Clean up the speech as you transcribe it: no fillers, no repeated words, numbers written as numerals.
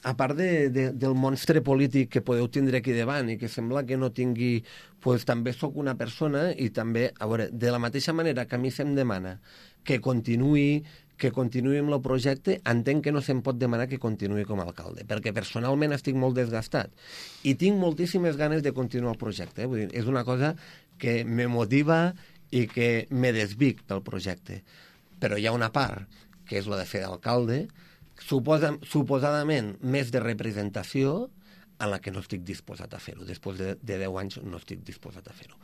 a part del monstre polític que podeu tindre aquí davant i que sembla que no tingui... Pues, també sóc una persona i també, a veure, de la mateixa manera que a mi se'm demana que continuï amb el projecte, entenc que no se'm pot demanar que continuï com a alcalde, perquè personalment estic molt desgastat i tinc moltíssimes ganes de continuar el projecte. Vull dir, és una cosa que me motiva i que me desvic pel projecte. Però hi ha una part, que és la de fer d'alcalde, suposadament més de representació, en la que no estic disposat a fer-ho. Després de 10 anys no estic disposat a fer-ho.